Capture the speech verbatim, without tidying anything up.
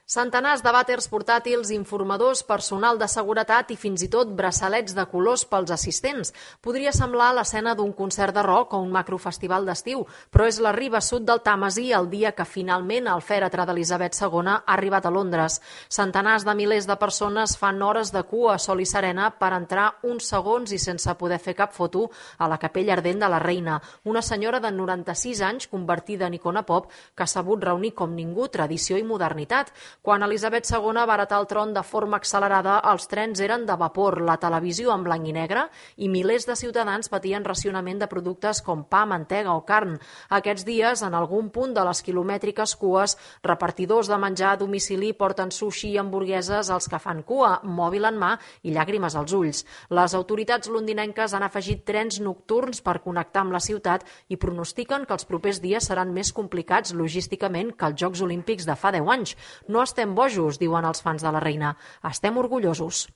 Centenars de vàters portàtils, informadors, personal de seguretat i fins i tot braçalets de colors pels assistents. Podria semblar l'escena d'un concert de rock o un macrofestival d'estiu, però és la riba sud del Tàmesi el dia que finalment el fèretre d'Elisabet segona ha arribat a Londres. Centenars de milers de persones fan hores de cua a sol i serena per entrar uns segons i sense poder fer cap foto a la capella ardent de la reina, una senyora de noranta-sis anys convertida en icona pop que ha sabut reunir com ningú tradició i modernitat. Quan Elisabet segona va heretar el tron de forma accelerada, els trens eren de vapor, la televisió en blanc i negre i milers de ciutadans patien racionament de productes com pa, mantega o carn. Aquests dies, en algun punt de les quilomètriques cues, repartidors de menjar a domicili porten sushi i hamburgueses als que fan cua, mòbil en mà i llàgrimes als ulls. Les autoritats londinenques han afegit trens nocturns per connectar amb la ciutat i pronostiquen que els propers dies seran més complicats logísticament que els Jocs Olímpics de fa deu anys. No estem bojos, diuen els fans de la reina. Estem orgullosos.